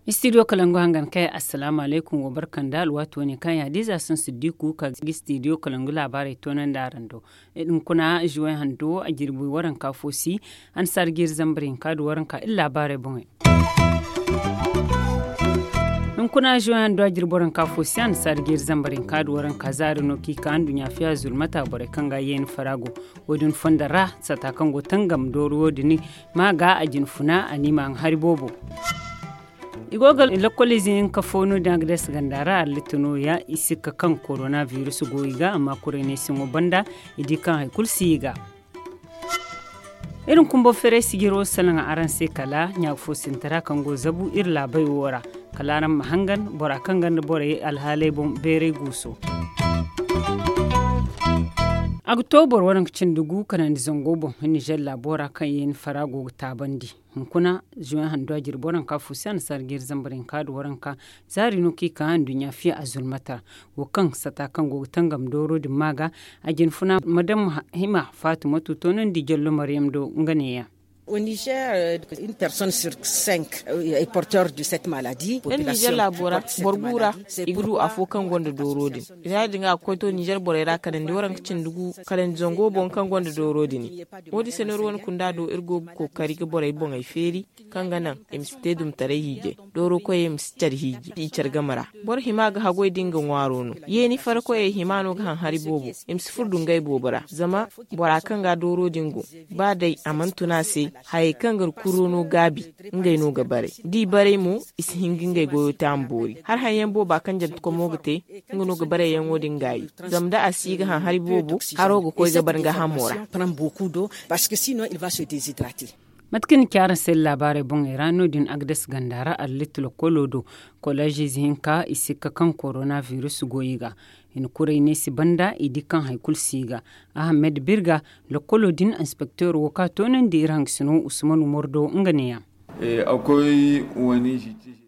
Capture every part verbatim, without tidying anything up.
Istidiyo kalangu hangan kay, assalaamu alaykum, wa barka nda alwaati wane kaŋ yaadiiza sun siddiku ka ga istidiyo kalangu laabaarey toonandi araŋ do. Hunkuna juway hando a jirbi waranka fo si, annasaara jiiri zambar hinka nda waranka iri laabaarey boŋey. Hunkuna juway hando a jirbi waranka fo si, annasaara jiiri zambar hinka nda waranka zaari no kaŋ i ka nduɲɲa fiya zulmata borey kaŋ ga yeeni fara go. Wo- din fondo ra sata kaŋ go tangam doori wo- din ma ga a jinfuna a ni ma a hari boobo. I go ga lakkol ize hinka fo no- din a ga deesa ganda ra allitta nooya i sikka kaŋ korona biris go i ga amma kuray neesiŋo banda i di kaŋ hari kulu si i ga. Iri na kumbo feeray sijiro salaŋ araŋ se kala ɲaaga fo sintara kaŋ go zabu iri laabey wo ra. Kala araŋ ma hangan bora kaŋ ganda borey alhaaley boŋ beeray guuso. A ga to boro waranka cindi gu kanandi zango boŋ nizer laabo ra kaŋ yeeni fara go ga taabandi. Hunkuna juwan handu a jirbi waranka fo se annasaara jiiri zambar hinka nda waranka zaari no kaŋ i ka nduɲɲa fiya a zulmata ra. Wo kaŋ sata kaŋ go ga tangam dooro din ma ga a jinfuna madam hima fatimatu toonandi jallo maryam do nga neeya. Iri nizer laabo ra boro gu ra i ga du afo kaŋ gonda dooro din. Ya- din ga a ga koy to nizer borey ra kanandi waranka cindi gu kanandi zango boŋ kaŋ gonda dooro din. Wo- din se no iri wane kunda do iri go ga kookari ga borey boŋey feeri kaŋ ga naŋ i ma si te dumtaray hiijay. Dooro koyey ma si care hiiji i care game ra. Boro hima ga haggoy da nga ŋwaaro no. Yeeni fara koyey hima no ga haŋ hari boobo. I ma si furo dungay boobo ra zama bora kaŋ ga dooro din go ba day a mana tun a se. Hayey kaŋ ga kuro no gaabi ngey no ga baray da i baray mo i si hin ga ngey goyo te a ma boori. Hari haŋ yaŋ booba kaŋ jantekomo ga te nga no ga barayyaŋo din gaayi. Zama da a si ga haŋ hari boobo haro ga koy ga bar nga hamo ra. Mate kaŋ ni ci araŋ se laabaarey boŋey ra no- din agdes ganda ra allitta lokkolo do. Kolleez ize hinka i sikka kaŋ korona biris go i ga. I na kuray neesi banda i di kaŋ hari kulu si i ga. Ahamed birga lokkolo din inspekteer wo kaŋ a toonandi iri hangasino usman umaru do nga neeya.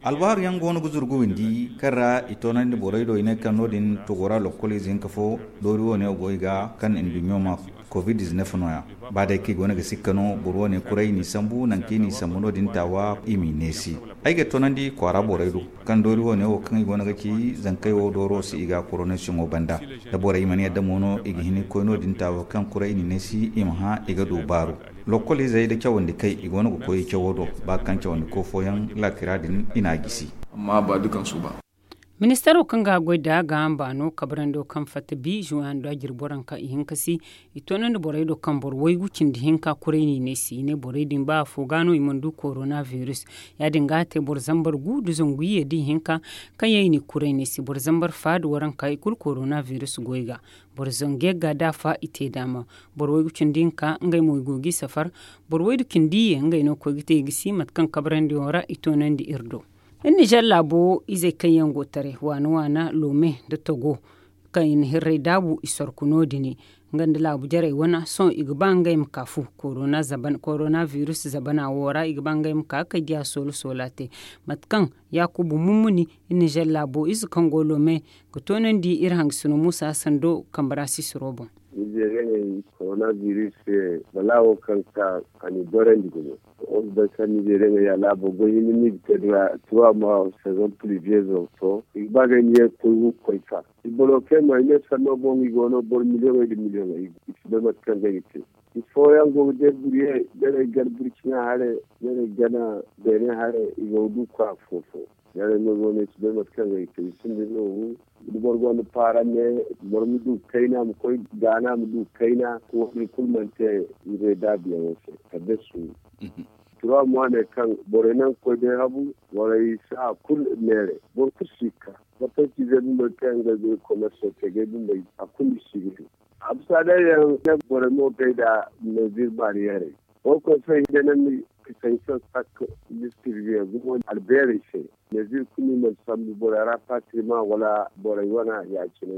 Albaharu yaŋ go no ga zuru ga windi kaŋ ra i toonandi borey do i ne kaŋ no- din togo ra lokkol ize hinka fo doori wo- ne go i ga kaŋ nduɲɲo ma covid diznef no- ya. Ba day kaŋ i go no ga sikka no boro wo- ne kuray i n'i sambu nangu kaŋ i n'i sambu no- din taawa i m'i neesi. Ay ga toonandi kwaara borey do kaŋ doori wo- ne wo kaŋ i go no ga ci zankey wo dooro si i ga koronasiyoŋo banda. Da borey mana yadda mo no i ga hin ga koy no- din taawa kaŋ kuray i n'i neesi i ma hã i ga du baaru. Lokkol izey nda cawandi kay i go no ga koy i cawo do ba kaŋ cawandiko fooyaŋ laakira din i n'a gisi. Ministaro kaŋ ga goy da gaaham baano kabrando kaŋ fatta bi zuwando a jirbo ranka i hinka si i toonandi borey do kaŋ boro waygu cindi hinka kuray n'i ne si i ne borey din ba afo ga no i mana du korona biris. Ya- din ga a te boro zambar gu nda zangu iyye da ihinka kaŋ yaŋ i n'i kuray ne si boro zambar fa nda waranka i kulu korona biris goy ga. Boro zangu yagga da afa i te daama. Boro waygu cindi hinka ngey mo i go g'i safar. Boro waydu cindi iyye ngey no ga koy ga te i ga si mate kaŋ kabrandi yaŋ ra i toonandi iri do. Iri nizer laabo izey kaŋ yaŋ go taray waana waana loome nda togo kaŋ i na hirray daabu i sorku no- din. Nga nda laabu jarey wane sohõ i ga ba ngey ma ka fu korona biris zabana wo ra i ga ba ngey ma ka ga kay diya soola soola te. Mate kaŋ yaakuba mummuni iri nizer laabo ize kaŋ go loome ga toonandi iri hangasino muusa sando kambe ra sisiro boŋ. Nizeeriyaŋey korona biris se balaawo kaŋ ka a n'i gorandi gumo. Wo ga bay kaŋ nizeeriyaŋey ya laabo goy hinne no i ga te nd'a tuwa ma sezon puliviyez wo to i ga ba ngey ma ye ga koy wu ga koy ka. I boro kaŋ ay ne sanno boŋ i go no boro miliyoŋey nda miliyoŋey i si bay mate kaŋ ngey ga te. I fooyaŋ go ga deeburuye nerey gana burcina haray nerey gana beene haray i go ga du kwaara fo fo. Yaadin no go no ay si bay mate kaŋ ay te i sinda nooru. Da boro gonda paara ne boro ma du kayna ma koy gaana ma du kayna. Wo- din kulu mana te. Ize daabiyaŋo se kala day suuru. Turawa mo a ne kaŋ borey naŋ ga koy day habu borey saaha kulu neeray boro kulu si ga ka. Mate kaŋ ciizey bumbey kaŋ yaŋ ga ay goy komerso te ga ay bumbey a kulu i si ga du. Ambasadeer yaŋ ne borey mo ga ay nda meezir baariyerey. Wo konsey hinjanandi ka sanction sak distribiye gumo albeerey se. Meezir kulu i mana sambu borey rapatriman wala borey wana ya- cine.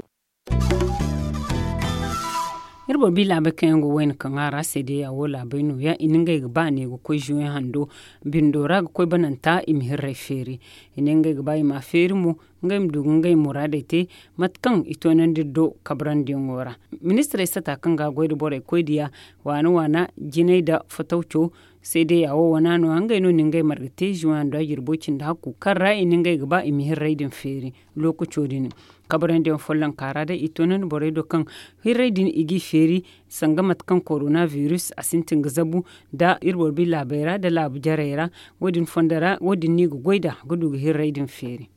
Iri boro bi laabey kaŋ yaŋ go wayna kaŋ a ra seedeya wo laabey nooya i na ngey ga ba ne ga koy zuwe hando bindo ra ga koy bananta i ma hirrey feeri. I ne ngey ga ba i ma a feeri mo ngey ma du ga ngey muraadey te mate kaŋ i toonandi iri do kabrandi yaŋo ra. Ministirey sata kaŋ ga a goy nda borey koy diya waana waana jinay nda fatawco seedeya wo wana nooya ngey no na ngey marga te zuwe hando a jirbo cindi hakku kaŋ ra i na ngey ga ba i ma hirrey din feeri. Lookaco din kabrandi yaŋ follonka ra day i toonandi borey do kaŋ hirrey din i g'i feeri sanga mate kaŋ korona virus a sintin ga zabu nda iri boro bi laabey ra nda laabu jarey ra. Wo- din fondo ra wo- din no i ga goy nd'a ga du ga hirrey din feeri.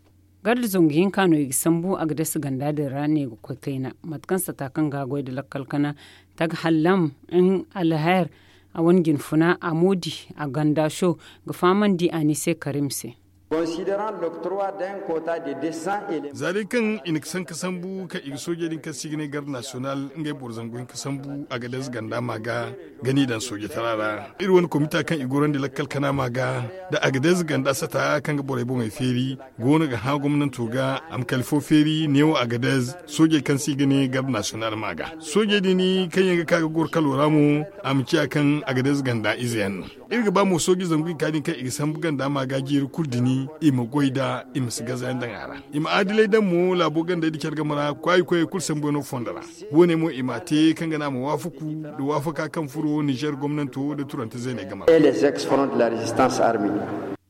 Garda zangu hinka no i ga sambu a ga dasa ganda din ra ne ga koy kayna mate kaŋ sata kaŋ ga a goy nda lakkal kana tag hallam, in alhair, a wane jinfuna a moodi a ganda show ga fahamandi a ni se karim se. Za day kaŋ i na ga sanka sambu kaŋ i ga soojey din kaŋ se i ga ne garde nasiyonal ngey boro zangu hinka sambu a ga deeza ganda ma ga ga n'i daŋ soojatara ra. Iri wane komita kaŋ i gorandi lakkal kana ma ga nda a ga deeza ganda sata kaŋ ga borey boŋey feeri go no ga hã gomnanto ga a ma kala fo feeri neewo a ga deeza soojey kaŋ se i ga ne garde nasiyonal ma ga soojey din kaŋ yaŋ ga ka ga goro kalo ra mo a ma ciya kaŋ a ga deeza ganda ize yaŋ no. Iri ga ba mo sooji zangu i ka din kaŋ i ga sambu ganda ma ga jiiri kulu dini i ma goy nda i ma si gaza yaŋ daŋ a ra. I ma adilay daŋ mo laabo gandey nda care game ra kwaayi koyey kulu sambu yaŋ no fondo ra. Wo- ne mo i m'a te kaŋ ga naŋ a ma waafaku nda waafaka kaŋ furo nizer gomnanto nda turante zeeney game ra.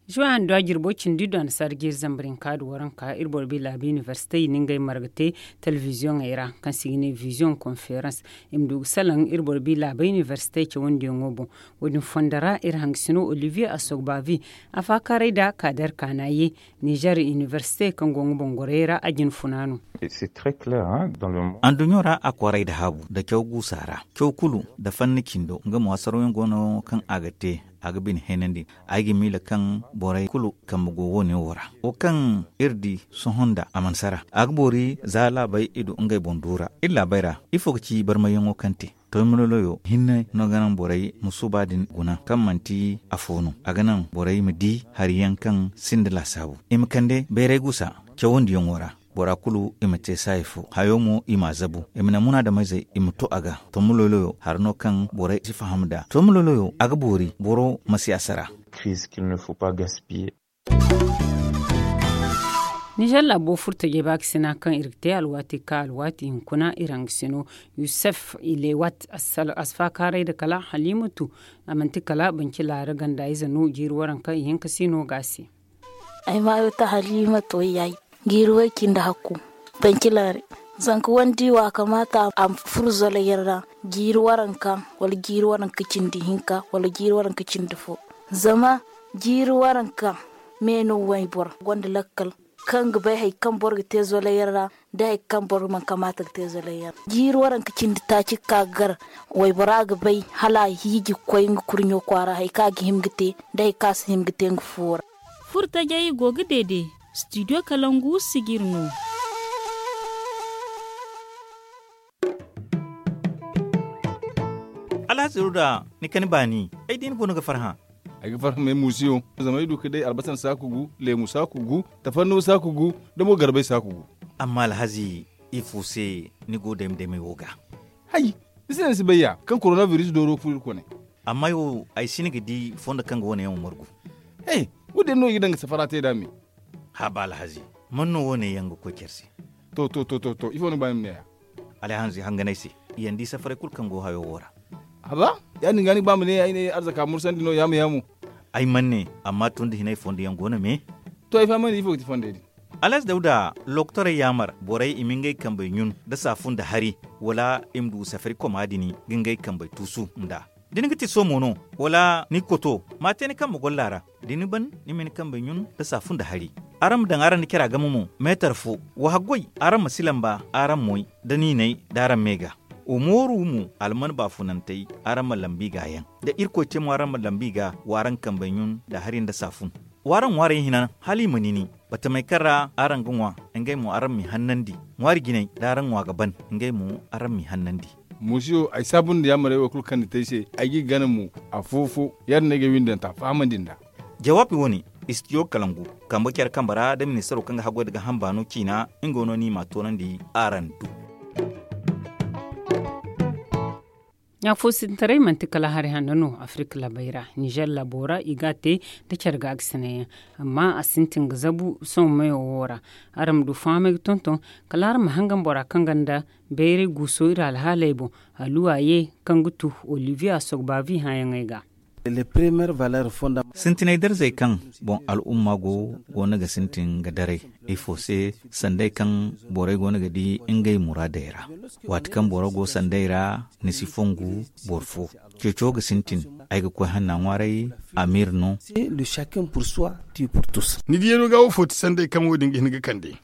Zuwa handu a jirbo cindi du a na saara jiiri zambar hinka du waranka iri boro bi laabu inibersite i na ngey marga te telebiziyoŋey ra kaŋ se i ga ne biziyoŋ konferans. I ma du ga salaŋ iri boro bi laabey inibersite cawandiyaŋo boŋ. Wo- din fondo ra iri hangasino olivier asogbavi a faakaaray nda kaader kaana ye nizer inibersite kaŋ go nga boŋ gorey ra a jina funa no. Anduɲɲo ra a kwaray nda haabu nda caw guusa ra caw kulu nda fanni cindo nga mo hasaraw yaŋ go no kaŋ a ga te a ga bine heenandi. Ay ga miila kaŋ borey kulu kambe go wo- ne wo ra wo kaŋ iri di sohõ nda a mana sara a ga boori za laabey i du ngey boŋ du ra iri laabey ra ifo ga ci barmayyaŋo kaŋ te. Toy maloloyo hinne no ga naŋ borey ma suuba din guna kaŋ manti afo no a ga naŋ borey ma di hari yaŋ kaŋ sinda laasaabu i ma kande bayray gusa cawandiyaŋo ra. Bora kulu i ma te saayi fo hayo mo i m'a zabu i ma naŋ munaadameyzey i ma to a ga. Toy maloloyo hari no kaŋ borey si faham nd'a toy maloloyo a ga boori boro ma si a sara. Nizer laabo furtajey baakasina kaŋ iri ga te alwaati ka alwaati hunkuna iri hangasino yusef ilewat a si faakaaray nda kala halimatu. A manti kala banci laara ganda ize no jiiri waranka ihinka si no ga a se. Ay maayo ta halimatu wayyayi jiiri way cindi hakku. Banci laare zanka wandi wa kamaata a ma furo zolayaŋ ra jiiri waranka wala jiiri waranka cindi hinka wala jiiri waranka cindi fo. Zama jiiri waranka me no wayboro gonda lakkal kaŋ ga bay hari kaŋ boro ga te zolayaŋ ra nda hari kaŋ boro mana kamaata ga te zolayaŋ ra. Jiiri waranka cindi taaci ga ka ga gar waybora ga bay hala a hiiji ga koy nga kurɲo kwaara hari kaŋ a ga hima ga te nda hari kaŋ a si hima ga te nga fuwo ra. Furtajey go ga deede studio kalangu sijir no. Alhazi ruda ni kani baani ay di ni goono ga farhã. Ay ga farhã me muusiyo zama ay du ga day albasan saaku gu leemu saaku gu tafannuwa saaku gu nda mo garbay saaku gu. Amma alhazi ifo se ni go dayma daymay wo ga? Hay, ni se no ni si bay ya kaŋ korona biris dooro ga furo iri kone. Amma ay wo ay si ni ga di fondo kaŋ ga wane yaŋ wo margu. He, wo- din no i ga daŋ ga safara te nd'a me. Haaba alhazi, man no wo- ne yaŋ ga koy care se? To to to to to ifo ni ga ba ni ma ne ya? Alhazi hanganay se, i yaŋ di safaray kulu kaŋ go hayo wo ra. Haaba, ya- din ga ni ga ba ma ne ya ay ne arzaka mursandi no yaamo yaamo. Ay mana ne, amma tun da hinay fondo yaŋ go no me. To ay fahamandi ifo ga ti fondey din? Alhazi dawda, lokotorey yaamar borey i ma ngey kambey ɲun nda saafu nda hari, wala i ma du safari koma din ga ngey kambey tuusu nd'a. Da ni ga ti soomo no, wala ni ga koto, ma a te ni kambe golla ra. Da ni ban, ni ma ni kambey ɲun nda saafu nda hari. Araŋ ma daŋ araŋ nda cara game mo meetar fo. Wa haggoy, araŋ ma si lamba araŋ moy nda niinay nda araŋ me ga. Wa mooru mo alman baafunantey, araŋ ma lambi ga yaŋ. Da irkoy te mo araŋ ma lambi ga wa araŋ kambey ɲun nda hari nda saafu. W'araŋ ŋwaarey hina hala i ma nini. Batamey kaŋ ra araŋ ga ŋwa, ngey mo araŋ m'i hannandi. Ŋwaari jinay da araŋ ŋwa ga ban, ngey mo araŋ m'i hannandi. Muusiyo ay saabu nda yaamarey wo kulu kaŋ ni te ay se, ay g'i gana mo. Afo-fo ya- din no ay ga ay windanta fahamandi nd'a. Jawaabi wo- ne, istidiyo kalangu, kambe care kambe ra nda ministaro kaŋ ga haggoy nda gaaham baano ciina, nga no ni m'a toonandi araŋ do. Ɲaafoosintaray manti kala hari hanno no afirka laabey ra. Nizer laabo ra i ga a te nda care gaakasinay yaŋ, amma a sintin ga zabu sohõ meyo wo ra. Araŋ ma du fahamey ga tonton kala araŋ ma hangan bora kaŋ gonda bayray guuso iri alhaaley boŋ. Haluwa ye kaŋ ga tu oliviya sogbavi hãayaŋey ga. Sintinay darzey kaŋ boŋ al'umma go go no ga sintin ga daray ifo se? Sanday kaŋ borey go no ga di ngey muraadey ra. Waati kaŋ boro go sanday ra, ni si fongu boro fo. Ceeco ga sintin. Ay ga koy hanna ŋwaaray. Amir no. Ni diyaŋo ga wo fo ti sanday kaŋ wo- din ga hin ga kande.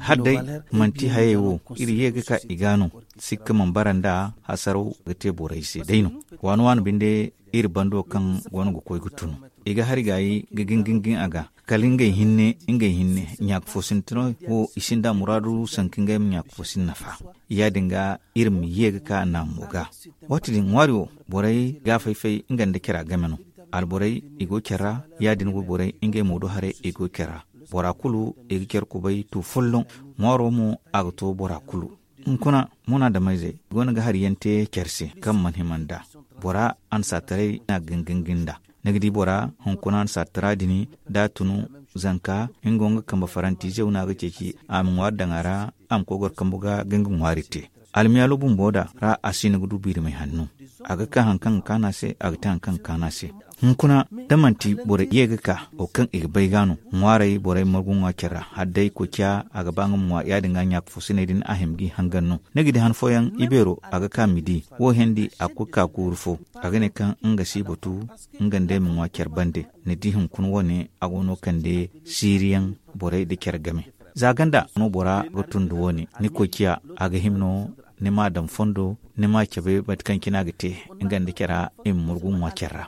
Hala day manti hayey wo iri ye ga ka i ga no. Sikka mana bara nd'a hasaraw ga te borey se day no. Waani waani binde iri bando kaŋ go no ga koy ga tun i ga hari gaayi ga gin gin gin a ga. Kala ngey hinne ngey hinne ɲaaka fo sintinay wo i sinda muraadu sanka ngey ma ɲaaka fo sinda nafa. Ya- din ga iri ma ye ga ka naamo ga. Waati din ŋwaari wo borey ga a fay-fay nga nda cara game no. Alborey i go care ra. Ya- din wo borey ngey mo do haray i go care ra. Bora kulu i ga care kubay tu folloŋ. Ŋwaaro mo a ga to bora kulu. Hunkuna munaadamayzey i go no ga hari yaŋ te care se kaŋ mana hima nd'a. Bora annasaataray no a ga gin gin gin nd'a. Ni ga di bora hunkuna annasaatara din da a tun zanka nga wo nga kambe farantizew no a ga ceeci a ma ŋwaari daŋ a ra. A ma koy goro kambu ga ga nga ŋwaari te. Almiyaalo bumbo da ra a si no ga du biirimay hanno. A ga ka hari kaŋ ga kaanu a se a ga te hari kaŋ ga kaanu a se. Hunkuna da manti borey ye ga ka wo kaŋ i ga bay ga no. Ŋwaarey borey margu ŋwa care ra hala day koociya a ga ba nga ma ŋwa ya- din ga ɲaaka fo sinay din a hima g'i hangan no. Ni ga di han fooyaŋ ibeero a ga ka midi wo hendi a ga koy ga ka kuuru fo. A ga ne kaŋ nga si batu nga nda ay ma ŋwa care bande. Ni di hunkuna wo- ne a go no kande siiriyaŋ borey nda care game. Za ganda no bora ga tun nda wo- ne ni koy ciya a ga hima no ni m'a daŋ fondo ni m'a cabe mate kaŋ cine a ga te. Nga nda cara i ma murgu ŋwa care ra.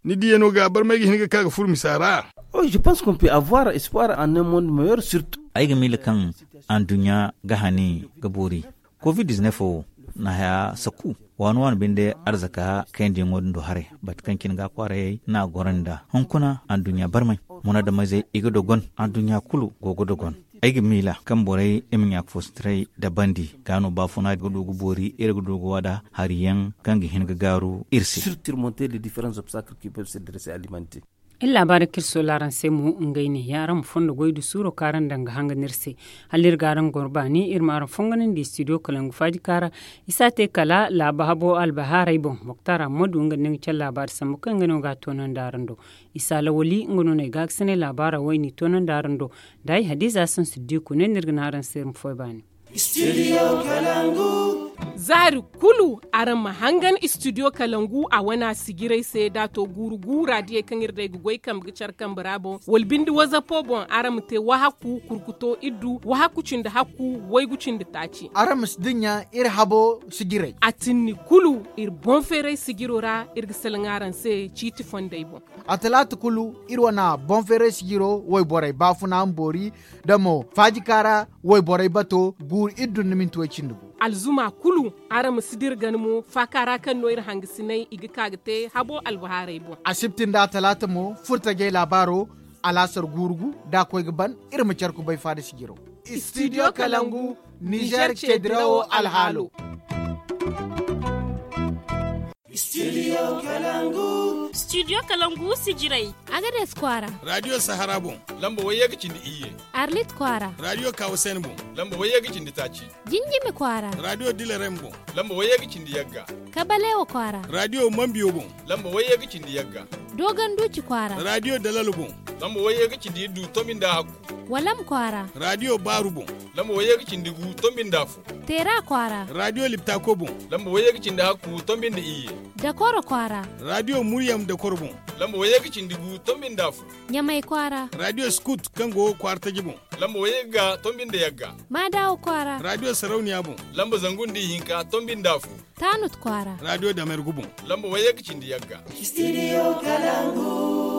Ni diyaŋo ga barmay ga hin ga ka ga furo misa ra. Ay ga miila kaŋ anduɲɲa ga hani ga boori. Covid diznef wo na haya sakku waani waani binde arzaka kayandi yaŋo din do haray. Bate kaŋ cine ga a kwaarayey no a goro nd'a hunkuna anduɲɲa barmay. Munaadamizey i ga dogon anduɲɲa kulu go ga dogon. Ay ga miila kaŋ borey i ma ɲaaka fo sintiray dabandi ga no baafuna ga du ga boori iri ga du ga waada hari yaŋ kaŋ ga hin ga gaaru iri se. Iri laabaari kaŋ iri soola araŋ se mo ngey ne ya araŋ ma fondo goy da suuro kaŋ araŋ daŋ ga hanga no iri se. Hala iri ga araŋ goro baani iri ma araŋ fonganandi studio kalangu faaji kaara. I si a te kala laaba habo albahaarey boŋ moktaara ma du nga nda nga care laabaari sambu kaŋ nga no ga a toonandi araŋ do. Isa lawali nga no no ay gaakasinay laabaara wo ay n'i toonandi araŋ do. Da ay hadiza sansu diiku ne no iri ga ne araŋ se iri ma foy baani. Zaari kulu araŋ ma hangan istidiyo kalangu a wane a sijirey se da a to guuru guura diyey kaŋ iri day ga goy kambe ga care kambe ra boŋ wala binde wazapo boŋ araŋ ma te wahakku kurkuto iddu wahakku cindi hakku waygu cindi taaci. Araŋ ma si dinya iri habo sijirey a tinni kulu iri boŋ feeray sijiro ra iri ga salaŋ araŋ se ciiti fondey boŋ. A talaata kulu iri wane boŋ feeray sijiro wayborey baafuna ma boori da mo faajika ra wayborey bato guuru iri dun nda minti way cindi gu. Alzuma kulu araŋ ma si dira gana mo faaka ra kaŋ no iri hangasinay i ga ka ga te habo albahaarey boŋ. Asibti nda atalaata mo furtajey laabaaro alaasar guuru gu da a koy ga ban iri ma care kubay faada sijiro. Studio kalangu nizer ceedirawo alhaalo. Studio kalangu sijirey. Agades kwaara. Radio sahara boŋ lamba wayye ga cindi iyye. Arlit kwaara. Radio kawasen boŋ lamba wayye ga cindi taaci. Jinjimi kwaara. Radio dilerem boŋ lamba wayye ga cindi yagga. Kabalewo kwaara. Radio mambiyo boŋ lamba wayye ga cindi yagga. Dogon duuci kwaara. Radio dalalo boŋ lamba wayye ga cindi iddu tombi nda hakku. Walam kwaara. Radio baaru boŋ lamba wayye ga cindi gu tombi nda afo. Teera kwaara. Radio liptako boŋ lamba wayye ga cindi hakku tombi nda iyye. Dakoro kwaara. Radio muryam dakoro boŋ lamba wayye ga cindi gu tombi nda afo. Ɲamay kwaara. Radio skut kaŋ go kwaara taji boŋ lamba wayye ga tombi nda yagga. Maadawo kwaara. Radio sarauniya boŋ lamba zangu nda ihinka tombi nda afo. Taanut kwaara. Radio damergu boŋ lamba wayye ga cindi yagga. Studio kalangu.